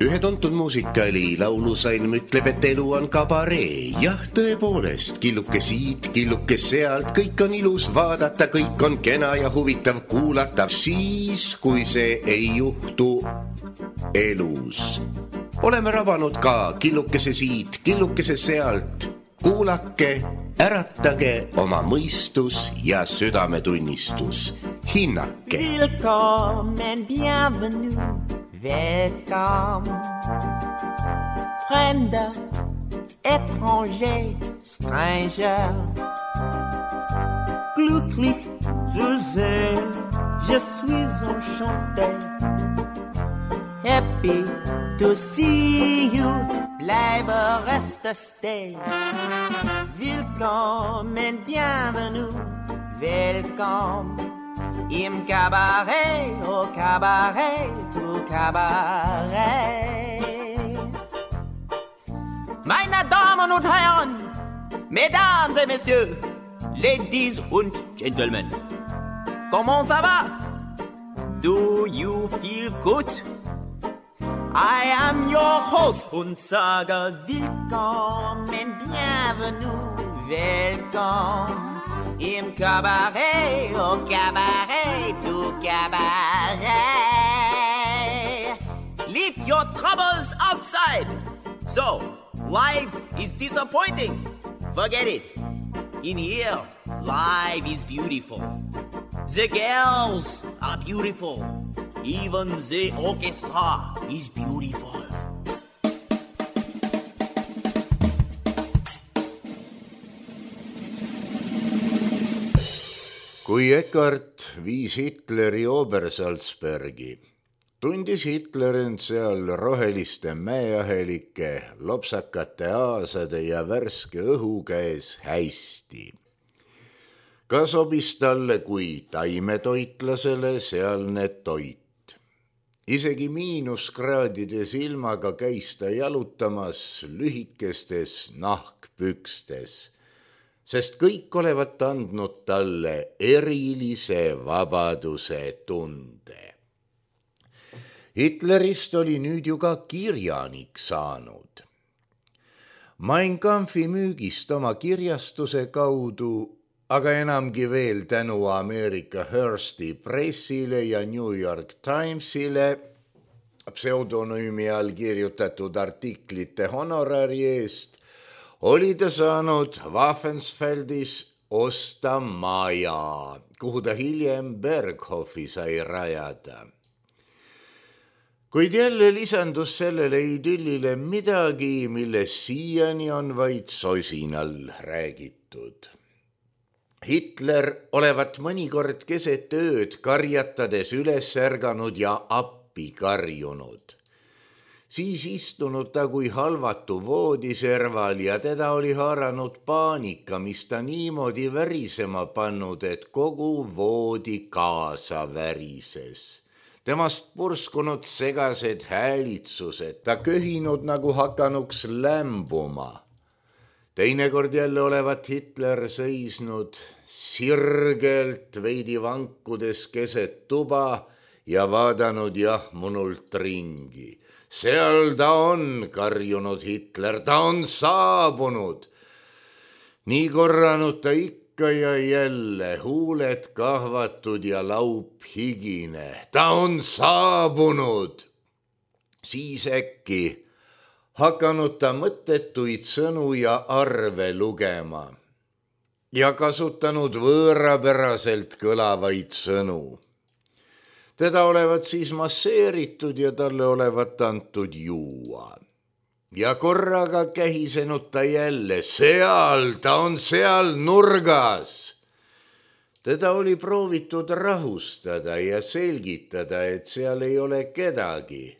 Ühe tuntud muusikali laulusalm ütleb, et elu on kabaree. Jah, tõepoolest, killuke siit, killuke sealt, kõik on ilus vaadata, kõik on kena ja huvitav kuulata. Siis, kui see ei juhtu elus. Oleme rabanud ka killukese siit, killukese sealt. Kuulake, äratage oma mõistus ja südametunnistus. Hinnake. Willkommen, bienvenue. Welcome, Fremder, étranger, stranger. Glücklich zu sehen, je suis enchanté. Happy to see you, bleibe reste stay. Willkommen, bienvenue, welcome. Im Cabaret, au Cabaret, tout Cabaret. Meine Damen und Herren, Mesdames et Messieurs, Ladies und Gentlemen, comment ça va? Do you feel good? I am your host und sage willkommen, bienvenue, welcome. Im Cabaret, au Cabaret, tout Cabaret. Leave your troubles outside. So, life is disappointing. Forget it. In here, life is beautiful. The girls are beautiful. Even the orchestra is beautiful. Kui Eckart viis Hitleri Obersalzbergi, tundis Hitler end seal roheliste mäeahelike, lopsakate aasade ja värske õhu käes hästi. Ka sobis talle kui taimetoitlasele sealne toit. Isegi miinuskraadides ilmaga käis ta jalutamas lühikestes nahkpükstes, sest kõik olevat andnud talle erilise vabaduse tunde. Hitlerist oli nüüd ju ka kirjanik saanud. Mein Kampfi müügist oma kirjastuse kaudu, aga enamgi veel tänu Ameerika Hearsti pressile ja New York Timesile pseudonüümi all kirjutatud artiklite honorari eest, oli ta saanud Waffensfeldis osta maja, kuhu ta hiljem Berghofi sai rajada. Kuid jälle lisandus sellele idyllile midagi, millest siiani on vaid sosinal räägitud. Hitler olevat mõnikord keset ööd karjatades üles ärganud ja appi karjunud. Siis istunud ta kui halvatu voodiserval ja teda oli haaranud paanika, mis ta niimoodi värisema pannud, et kogu voodi kaasa värises. Temast purskunud segased häälitsused, ta köhinud nagu hakanuks lämbuma. Teinekord jälle olevat Hitler seisnud sirgelt veidi vankudes keset tuba ja vaadanud jahmunult ringi. Seal ta on, karjunud Hitler, ta on saabunud. Nii korranud ta ikka ja jälle, huuled kahvatud ja laup higine. Ta on saabunud. Siis äkki hakanud ta mõttetuid sõnu ja arve lugema ja kasutanud võõrapäraselt kõlavaid sõnu. Teda olevat siis masseeritud ja talle olevat antud juua. Ja korraga kähisenud ta jälle, ta on seal nurgas. Teda oli proovitud rahustada ja selgitada, et seal ei ole kedagi.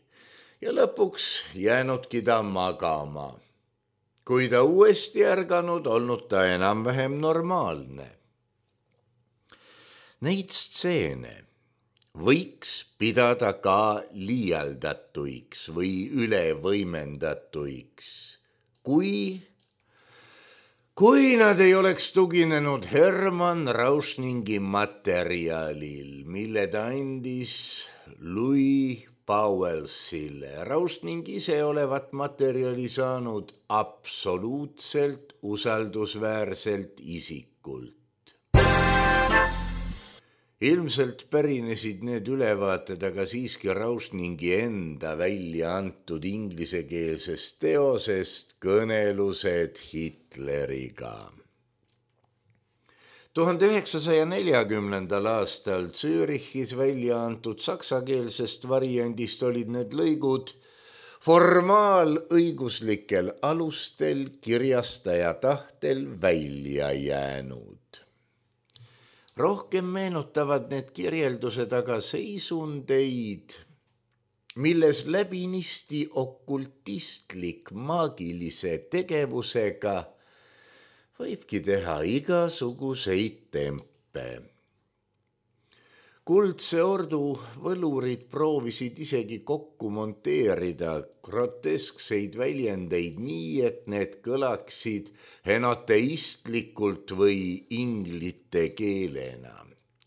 Ja lõpuks jäänudki ta magama. Kui ta uuesti ärganud, olnud ta enam-vähem normaalne. Neid stseene võiks pidada ka liialdatuiks või ülevõimendatuiks, kui nad ei oleks tuginenud Hermann Rauschningi materjalil, mille ta andis Louis Bowelsile. Rausning ise olevat materjali saanud absoluutselt usaldusväärselt isikult. Ilmselt pärinesid need ülevaated aga siiski Rausningi enda välja antud inglisekeelsest teosest Kõnelused Hitleriga. 1940. aastal Zürichis välja antud saksakeelsest variandist olid need lõigud formaalõiguslikel alustel kirjastaja tahtel välja jäänud. Rohkem meenutavad need kirjeldused aga seisundeid, milles läbinisti okultistlik maagilise tegevusega võibki teha igasuguseid tempe. Kuldse ordu võlurid proovisid isegi kokku monteerida groteskseid väljendeid nii, et need kõlaksid henoteistlikult või inglite keelena.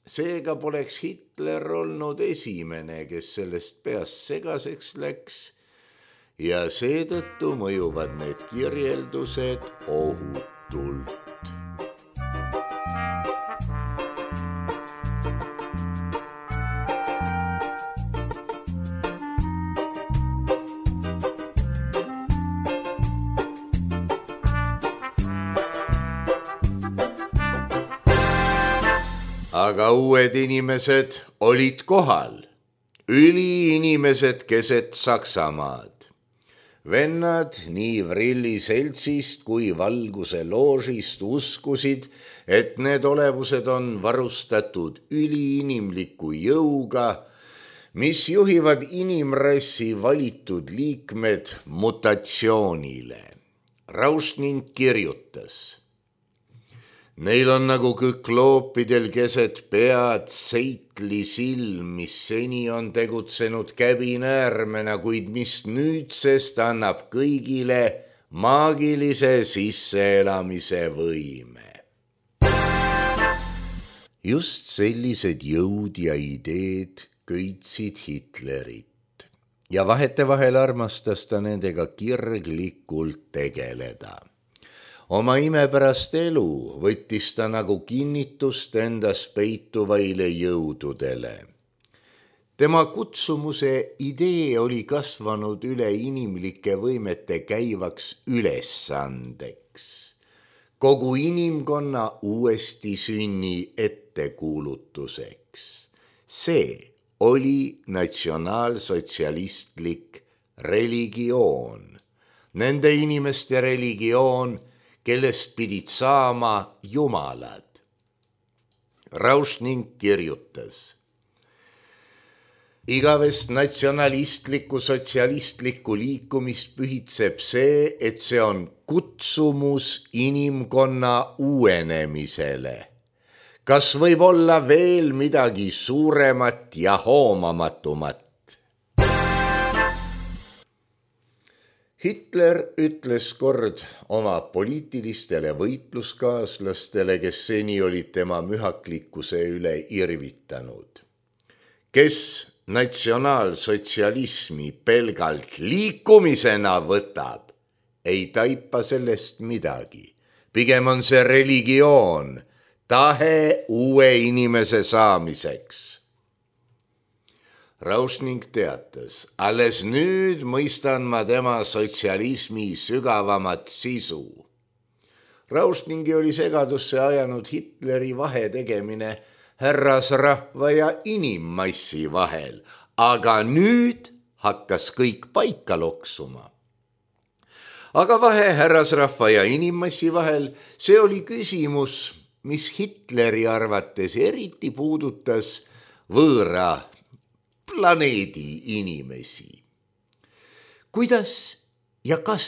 Seega poleks Hitler olnud esimene, kes sellest peast segaseks läks ja seetõttu mõjuvad need kirjeldused ohutult. Aga uued inimesed olid kohal, üliinimesed keset Saksamaad. Vennad nii Vrilli seltsist kui Valguse loožist uskusid, et need olevused on varustatud üliinimliku jõuga, mis juhivad inimrassi valitud liikmed mutatsioonile. Rausning kirjutas: neil on nagu kükloopidel keset pead seitli silm, mis seni on tegutsenud käbinäärmena, kuid mis nüüdsest annab kõigile maagilise sisseelamise võime. Just sellised jõud ja ideed köitsid Hitlerit ja vahetevahel armastas ta nendega kirglikult tegeleda. Oma imepärast elu võttis ta nagu kinnitust endas peituvaile jõududele. Tema kutsumuse idee oli kasvanud üle inimlike võimete käivaks ülesandeks. Kogu inimkonna uuesti sünni ettekuulutuseks. See oli natsionaalsotsialistlik religioon. Nende inimeste religioon, kellest pidid saama jumalad. Rausning kirjutas: igavest natsionalistlikku sotsialistlikku liikumist pühitseb see, et see on kutsumus inimkonna uuenemisele. Kas võib olla veel midagi suuremat ja hoomamatumat? Hitler ütles kord oma poliitilistele võitluskaaslastele, kes seni olid tema mühaklikkuse üle irvitanud: kes natsionaalsotsialismi pelgalt liikumisena võtab, ei taipa sellest midagi. Pigem on see religioon, tahe uue inimese saamiseks. Rausning teatas: alles nüüd mõistan ma tema sotsialismi sügavamat sisu. Rausningi oli segadusse ajanud Hitleri vahetegemine härrasrahva ja inimmassi vahel, aga nüüd hakkas kõik paika loksuma. Aga vahe härrasrahva ja inimmassi vahel, see oli küsimus, mis Hitleri arvates eriti puudutas võõra planeedi inimesi. Kuidas ja kas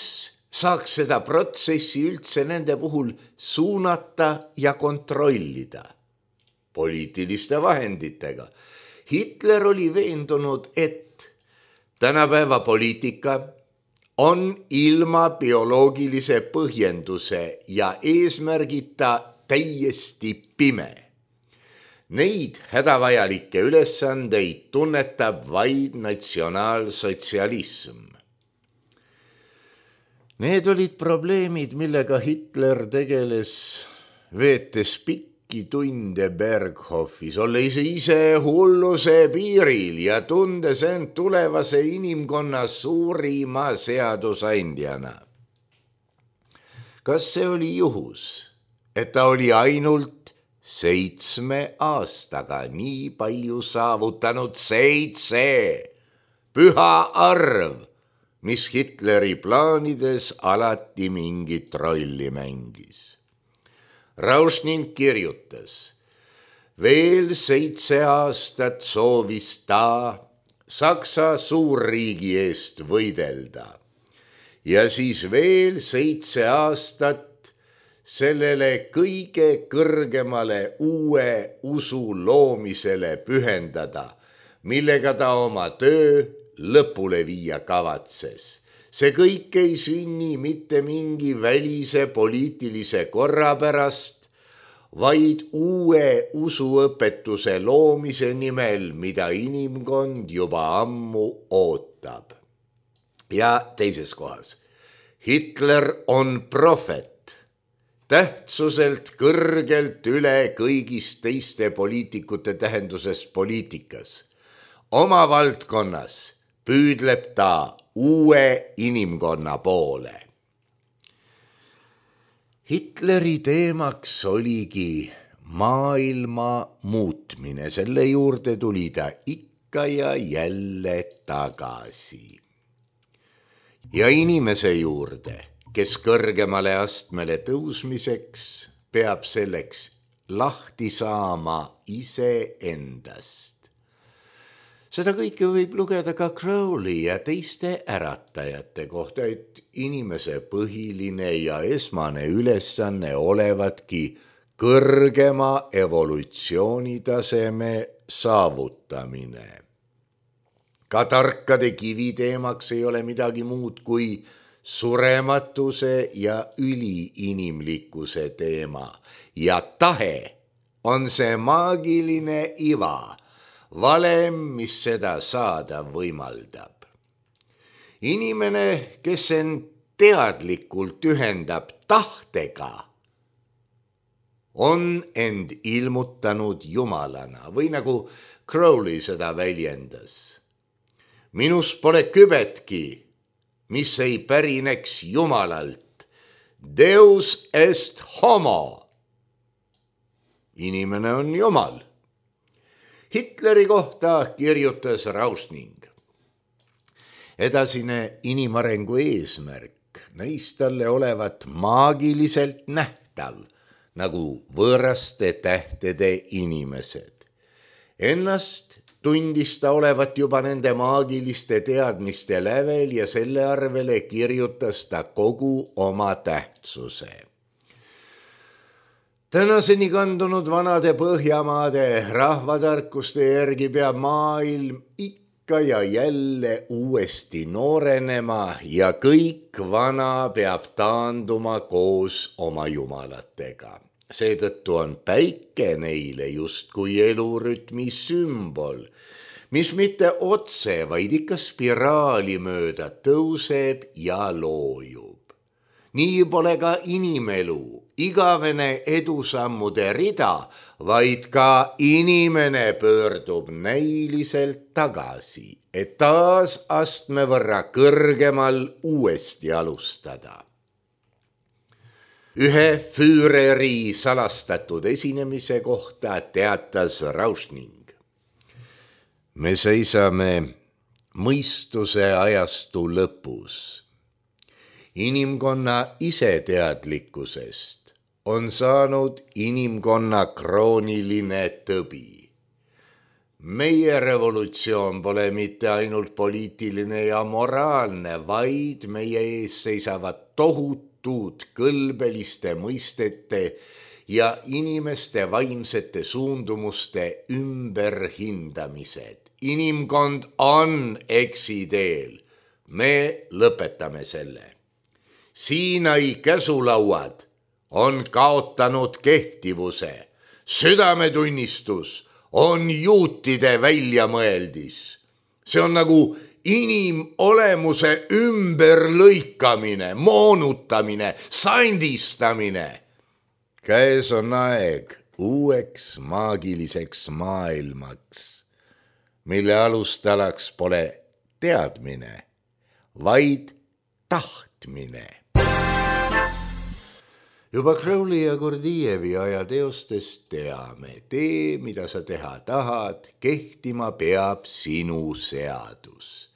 saaks seda protsessi üldse nende puhul suunata ja kontrollida? Poliitiliste vahenditega. Hitler oli veendunud, et tänapäeva poliitika on ilma bioloogilise põhjenduse ja eesmärgita täiesti pime. Neid hädavajalikke ülesandeid tunnetab vaid natsionaalsotsialism. Need olid probleemid, millega Hitler tegeles, veetes pikki tunde Berghofis, olles ise hulluse piiril ja tundes end tulevase inimkonna suurima seadusandjana. Kas see oli juhus, et ta oli ainult 7 aastaga nii palju saavutanud? 7, püha arv, mis Hitleri plaanides alati mingit rolli mängis. Rauschning kirjutas, veel 7 aastat soovis ta Saksa suurriigi eest võidelda ja siis veel 7 aastat sellele kõige kõrgemale uue usu loomisele pühendada, millega ta oma töö lõpule viia kavatses. See kõik ei sünni mitte mingi välise poliitilise korra pärast, vaid uue usuõpetuse loomise nimel, mida inimkond juba ammu ootab. Ja teises kohas, Hitler on prohvet, tähtsuselt kõrgelt üle kõigist teiste poliitikute tähenduses poliitikas. Oma valdkonnas püüdleb ta uue inimkonna poole. Hitleri teemaks oligi maailma muutmine, selle juurde tuli ta ikka ja jälle tagasi. Ja inimese juurde, kes kõrgemale astmele tõusmiseks peab selleks lahti saama iseendast. Seda kõike võib lugeda ka Crowley ja teiste äratajate kohta, et inimese põhiline ja esmane ülesanne olevatki kõrgema evolutsioonitaseme saavutamine. Ka tarkade kivi teemaks ei ole midagi muud kui surematuse ja üliinimlikkuse teema ja tahe on see maagiline iva, valem, mis seda saada võimaldab. Inimene, kes end teadlikult ühendab tahtega, on end ilmutanud jumalana või nagu Crowley seda väljendas. Minus pole kübetki, mis ei pärineks Jumalalt. Deus est homo. Inimene on Jumal. Hitleri kohta kirjutas Rauschning. Edasine inimarengu eesmärk näis talle olevat maagiliselt nähtav, nagu võõraste tähtede inimesed. Ennast tundis ta olevat juba nende maagiliste teadmiste lävel ja selle arvele kirjutas ta kogu oma tähtsuse. Tänaseni kandunud vanade Põhjamaade rahvatarkuste järgi peab maailm ikka ja jälle uuesti noorenema ja kõik vana peab taanduma koos oma jumalatega. Seetõttu on päike neile justkui elurütmi sümbol, mis mitte otse, vaid ikka spiraali mööda tõuseb ja loojub. Nii pole ka inimelu, igavene edusammude rida, vaid ka inimene pöördub näiliselt tagasi, et taas astme võrra kõrgemal uuesti alustada. Ühe Führeri salastatud esinemise kohta teatas Rauschning. Me seisame mõistuse ajastu lõpus. Inimkonna iseteadlikkusest on saanud inimkonna krooniline tõbi. Meie revolutsioon pole mitte ainult poliitiline ja moraalne, vaid meie ees seisavad tohutud kõlbeliste mõistete ja inimeste vaimsete suundumuste ümberhindamised. Inimkond on eksiteel. Me lõpetame selle. Siinai käsulauad on kaotanud kehtivuse. südametunnistus on juutide väljamõeldis. See on nagu inimolemuse ümberlõikamine, moonutamine, sandistamine. Käes on aeg uueks maagiliseks maailmaks, mille alustalaks pole teadmine, vaid tahtmine. Juba Crowley ja Gurdjieffi aja teostest teame, tee, mida sa teha tahad, kehtima peab sinu seadus.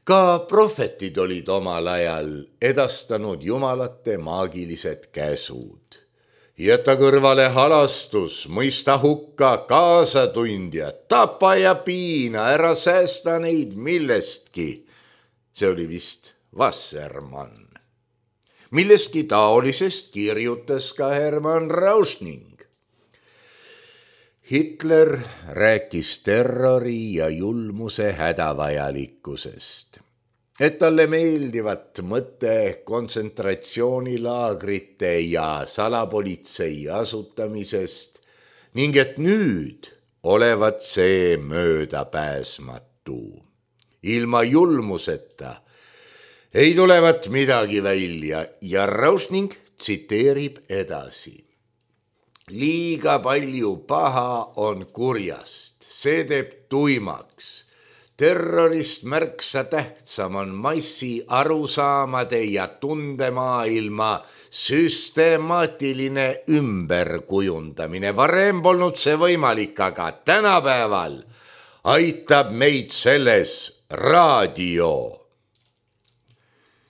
Ka prohvetid olid omal ajal edastanud jumalate maagilised käsud. Jäta kõrvale halastus, mõista hukka kaasatundjad, tapa ja piina, ära säästa neid millestki. See oli vist Wassermann. Millestki taolisest kirjutas ka Hermann Rauschning. Hitler rääkis terrori ja julmuse hädavajalikkusest, et talle meeldivat mõte kontsentratsioonilaagrite ja salapolitsei asutamisest ning et nüüd olevat see möödapääsmatu. Ilma julmuseta ei tulevat midagi välja ja Rauschning tsiteerib edasi. Liiga palju paha on kurjast, see teeb tuimaks. Terrorist märksa tähtsam on massi arusaamade ja tundemaailma süstemaatiline ümberkujundamine. Varem polnud see võimalik, aga tänapäeval aitab meid selles raadio.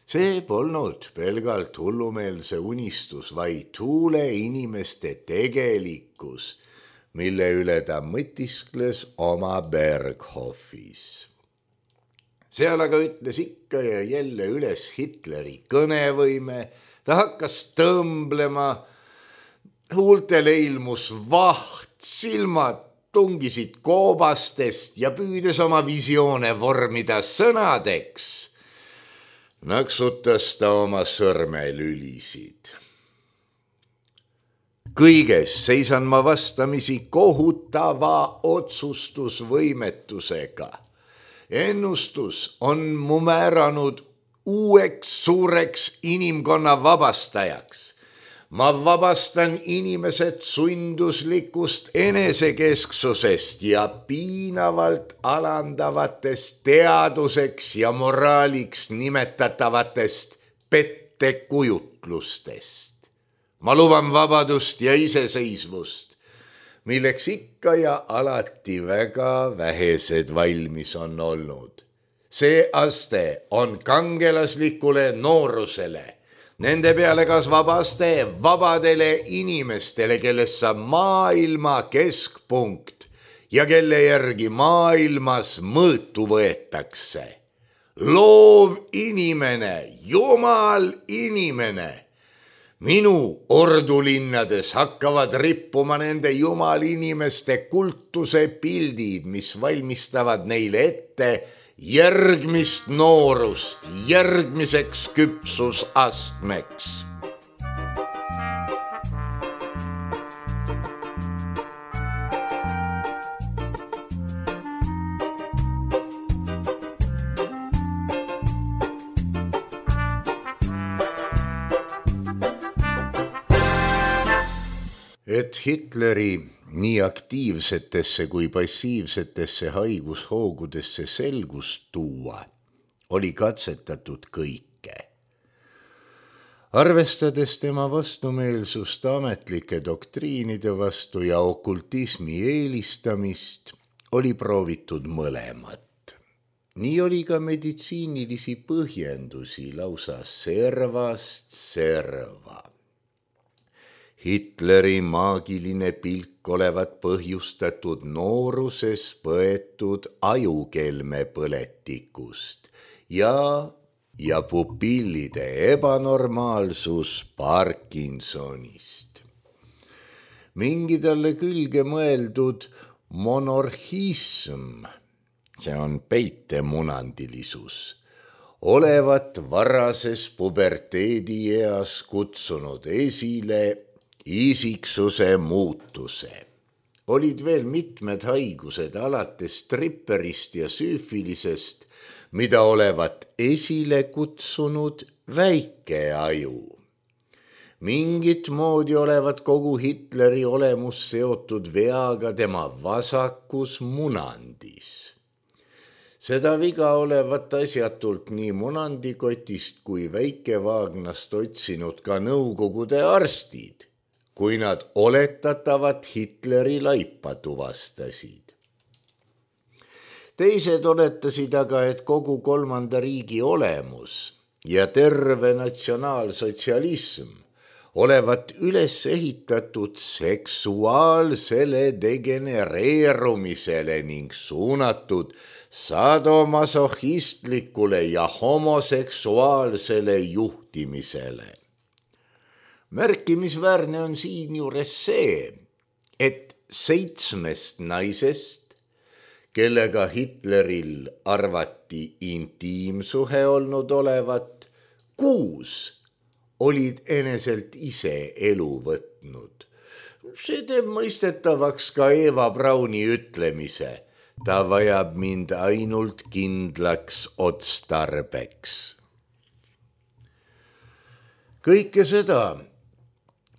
See polnud pelgalt hullumeelse unistus, vaid tuule inimeste tegelikkus, mille üle ta mõtiskles oma Berghofis. Seal aga ütles ikka ja jälle üles Hitleri kõnevõime, ta hakkas tõmblema, huultele ilmus vaht, silmad tungisid koobastest ja püüdes oma visioone vormida sõnadeks, naksutas ta oma sõrmelülisid. Kõiges seisan ma vastamisi kohutava otsustusvõimetusega. Ennustus on mu määranud uueks suureks inimkonna vabastajaks. Ma vabastan inimesed sunduslikust enesekesksusest ja piinavalt alandavatest teaduseks ja moraaliks nimetatavatest pettekujutlustest. Ma luban vabadust ja iseseisvust, milleks ikka ja alati väga vähesed valmis on olnud. See aste on kangelaslikule noorusele, nende peale kasvab aste vabadele inimestele, kellest saab maailma keskpunkt ja kelle järgi maailmas mõõtu võetakse. Loov inimene, jumal inimene. Minu ordulinnades hakkavad rippuma nende jumalinimeste kultuse pildid, mis valmistavad neile ette järgmist noorust, järgmiseks küpsusastmeks. Et Hitleri nii aktiivsetesse kui passiivsetesse haigushoogudesse selgust tuua, oli katsetatud kõike. Arvestades tema vastumeelsust ametlike doktriinide vastu ja okultismi eelistamist, oli proovitud mõlemat. Nii oli ka meditsiinilisi põhjendusi lausa servast serva. Hitleri maagiline pilk olevat põhjustatud nooruses põetud ajukelme põletikust ja pupillide ebanormaalsus Parkinsonist. Mingi talle külge mõeldud monorhism, see on peitemunandilisus, olevat varases puberteedieas kutsunud esile isiksuse muutuse. Olid veel mitmed haigused alates tripperist ja süüfilisest, mida olevat esile kutsunud väike aju. Mingit moodi olevat kogu Hitleri olemus seotud veaga tema vasakus munandis. Seda viga olevat asjatult nii munandikotist kui väikevaagnast otsinud ka nõukogude arstid, kui nad oletatavat Hitleri laipa tuvastasid. Teised oletasid aga, et kogu kolmanda riigi olemus ja terve natsionaalsotsialism olevat üles ehitatud seksuaalsele degenereerumisele ning suunatud sadomasohhistlikule ja homoseksuaalsele juhtimisele. Märkimisväärne on siinjuures see, et 7 naisest, kellega Hitleril arvati intiimsuhe olnud olevat, 6 olid eneselt ise elu võtnud. See teeb mõistetavaks ka Eva Brauni ütlemise, ta vajab mind ainult kindlaks otstarbeks. Kõike seda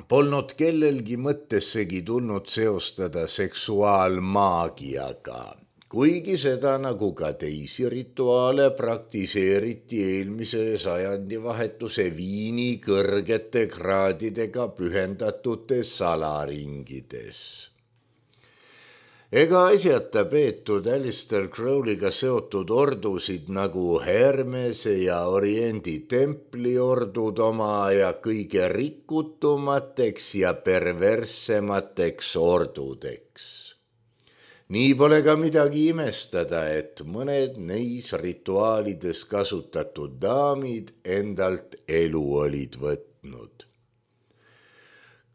polnud kellelgi mõttessegi tulnud seostada seksuaalmaagiaga, kuigi seda nagu ka teisi rituaale praktiseeriti eelmise sajandivahetuse Viini kõrgete kraadidega pühendatutes salaringides. Ega asjata peetud Alistair Crowley'ga seotud ordusid nagu Hermese ja Oriendi templiordud oma aja kõige rikutumateks ja perverssemateks ordudeks. Nii pole ka midagi imestada, et mõned neis rituaalides kasutatud daamid endalt elu olid võtnud.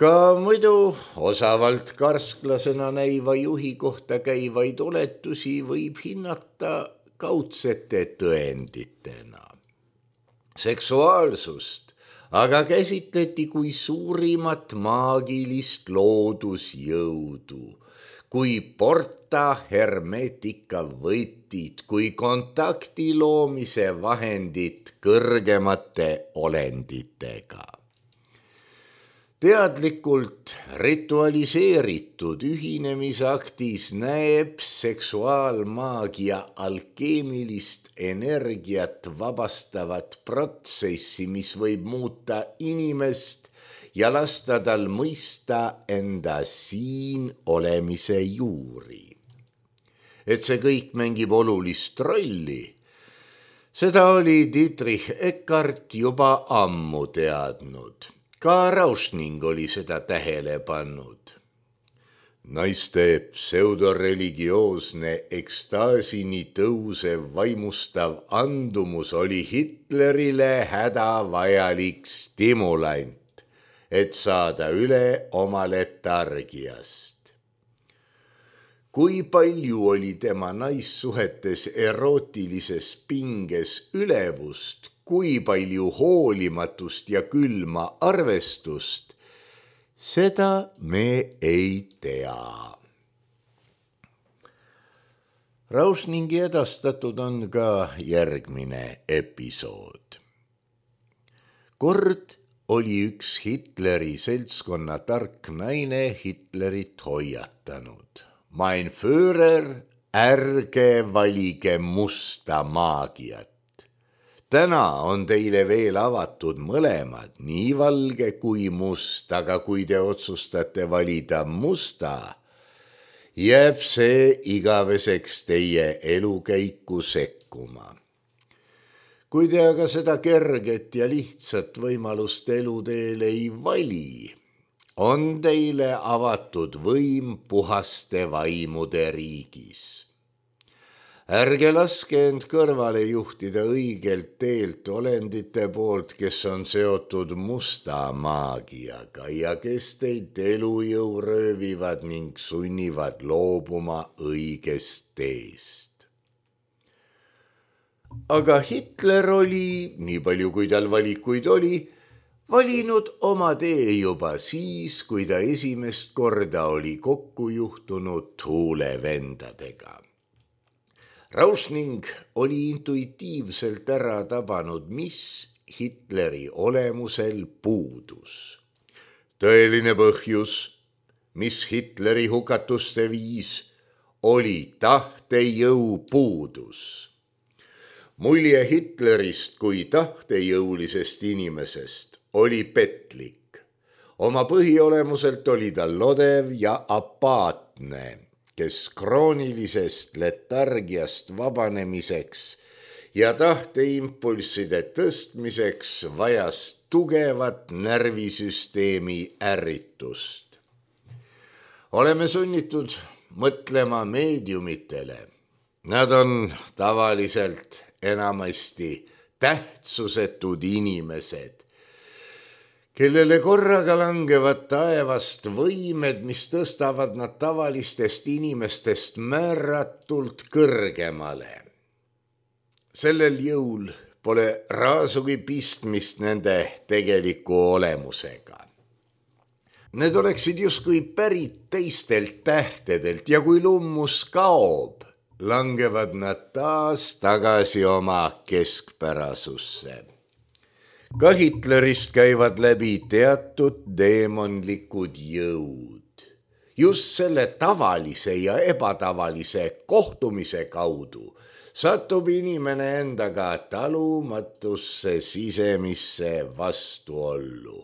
Ka muidu osavalt karsklasena näiva juhi kohta käivaid oletusi võib hinnata kaudsete tõenditena. Seksuaalsust aga käsitleti kui suurimat maagilist loodusjõudu, kui porta hermetika võtid, kui kontakti loomise vahendid kõrgemate olenditega. Teadlikult ritualiseeritud ühinemisaktis näeb seksuaalmaagia alkeemilist energiat vabastavat protsessi, mis võib muuta inimest ja lasta tal mõista enda siin olemise juuri. Et see kõik mängib olulist rolli, seda oli Dietrich Eckart juba ammu teadnud. Ka Rauschning oli seda tähele pannud. Naiste pseudoreligioosne ekstaasini tõusev vaimustav andumus oli Hitlerile hädavajalik stimulant, et saada üle oma letargiast. Kui palju oli tema naissuhetes erootilises pinges ülevust, kui palju hoolimatust ja külma arvestust, seda me ei tea. Rauschningi edastatud on ka järgmine episood. Kord oli üks Hitleri seltskonna tark naine Hitlerit hoiatanud. Mein Führer, ärge valige musta maagiat. Täna on teile veel avatud mõlemad, nii valge kui must, aga kui te otsustate valida musta, jääb see igaveseks teie elukäiku sekkuma. Kui te aga seda kerget ja lihtsat võimalust eluteel ei vali, on teile avatud võim puhaste vaimude riigis. Ärge laske end kõrvale juhtida õigelt teelt olendite poolt, kes on seotud musta maagiaga ja kes teid elujõu röövivad ning sunnivad loobuma õigest teest. Aga Hitler oli, nii palju kui tal valikuid oli, valinud oma tee juba siis, kui ta esimest korda oli kokku juhtunud huulevendadega. Rausning oli intuitiivselt ära tabanud, mis Hitleri olemusel puudus. Tõeline põhjus, mis Hitleri hukatuste viis, oli tahtejõu puudus. Mulje Hitlerist kui tahtejõulisest inimesest oli petlik. Oma põhiolemuselt oli ta lodev ja apaatne, kes kroonilisest letargiast vabanemiseks ja tahteimpulsside tõstmiseks vajas tugevat närvisüsteemi ärritust. Oleme sunnitud mõtlema meediumitele. Nad on tavaliselt enamasti tähtsusetud inimesed, kellele korraga langevad taevast võimed, mis tõstavad nad tavalistest inimestest määratult kõrgemale. Sellel jõul pole raasugi pistmist nende tegeliku olemusega. Need oleksid justkui pärit teistelt tähtedelt ja kui lummus kaob, langevad nad taas tagasi oma keskpärasusse. Ka Hitlerist käivad läbi teatud deemonlikud jõud. Just selle tavalise ja ebatavalise kohtumise kaudu satub inimene endaga talumatusse sisemisse vastuollu.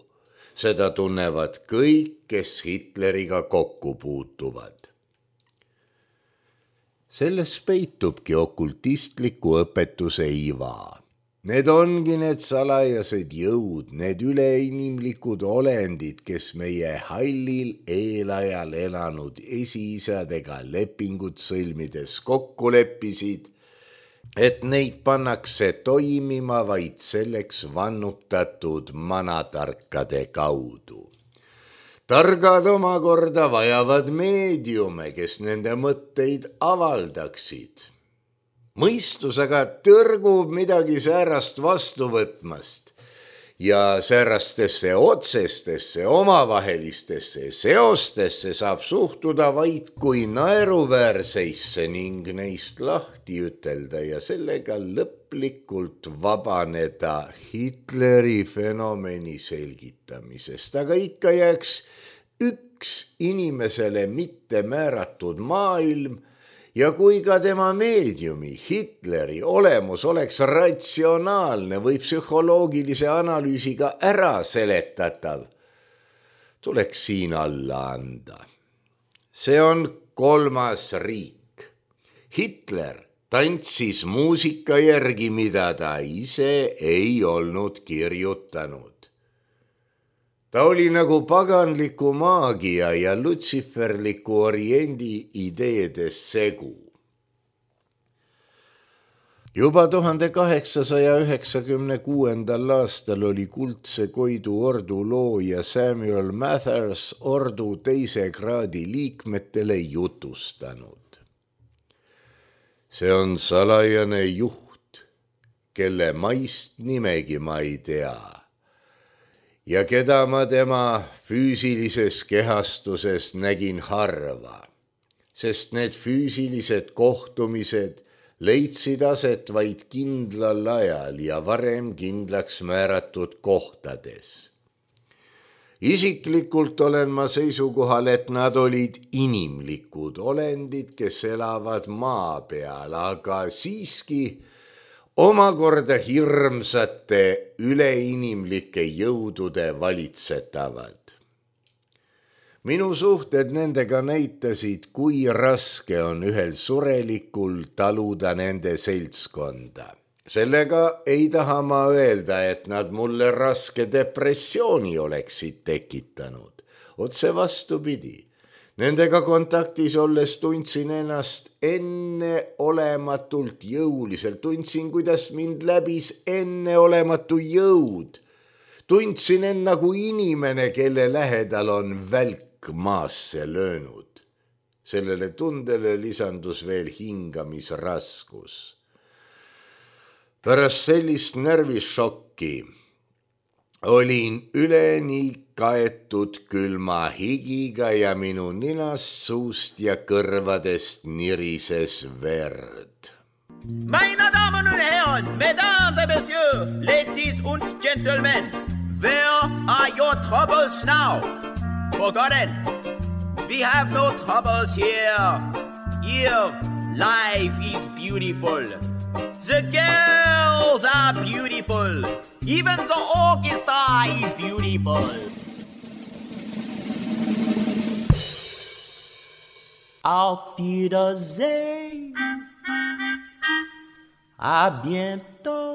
Seda tunnevad kõik, kes Hitleriga kokku puutuvad. Selles peitubki okultistliku õpetuse iva. Need ongi need salajased jõud, need üleinimlikud olendid, kes meie hallil eelajal elanud esiisadega lepingut sõlmides kokku leppisid, et neid pannakse toimima vaid selleks vannutatud manatarkade kaudu. Targad omakorda vajavad meediume, kes nende mõtteid avaldaksid. Mõistus aga tõrgub midagi säärast vastu võtmast ja säärastesse otsestesse omavahelistesse seostesse saab suhtuda vaid kui naeruväärseisse ning neist lahti ütelda ja sellega lõplikult vabaneda Hitleri fenomeni selgitamisest. Aga ikka jääks üks inimesele mitte määratud maailm ja kui ka tema meediumi Hitleri olemus oleks ratsionaalne või psühholoogilise analüüsiga ära seletatav, tuleks siin alla anda. See on 3. riik. Hitler tantsis muusika järgi, mida ta ise ei olnud kirjutanud. Ta oli nagu paganliku maagia ja lutsiferliku oriendi ideedes segu. Juba 1896. aastal oli Kuldse Koidu ordu looja Samuel Mathers ordu 2. kraadi liikmetele jutustanud. See on salajane juht, kelle maist nimegi ma ei tea. Ja keda ma tema füüsilises kehastuses nägin harva, sest need füüsilised kohtumised leidsid aset vaid kindlal ajal ja varem kindlaks määratud kohtades. Isiklikult olen ma seisukohal, et nad olid inimlikud olendid, kes elavad maa peal, aga siiski omakorda hirmsate üleinimlike jõudude valitsetavad. Minu suhted nendega näitasid, kui raske on ühel surelikul taluda nende seltskonda. Sellega ei taha ma öelda, et nad mulle raske depressiooni oleksid tekitanud. Otse vastupidi. Nendega kontaktis olles tundsin ennast enneolematult jõuliselt. Tundsin, kuidas mind läbis enneolematu jõud. Tundsin end nagu inimene, kelle lähedal on välk maasse löönud. Sellele tundele lisandus veel hingamisraskus. Pärast sellist närvišokki olin üleni kaetud külma higiga ja minu ninast, suust ja kõrvadest nirises verd. Meine Damen und Herren, Mesdames et Messieurs, Ladies und Gentlemen, where are your troubles now? Forgotten. We have no troubles here. Here, life is beautiful. The girls are beautiful. Even the orchestra is beautiful. Auf Wiedersehen. À bientôt.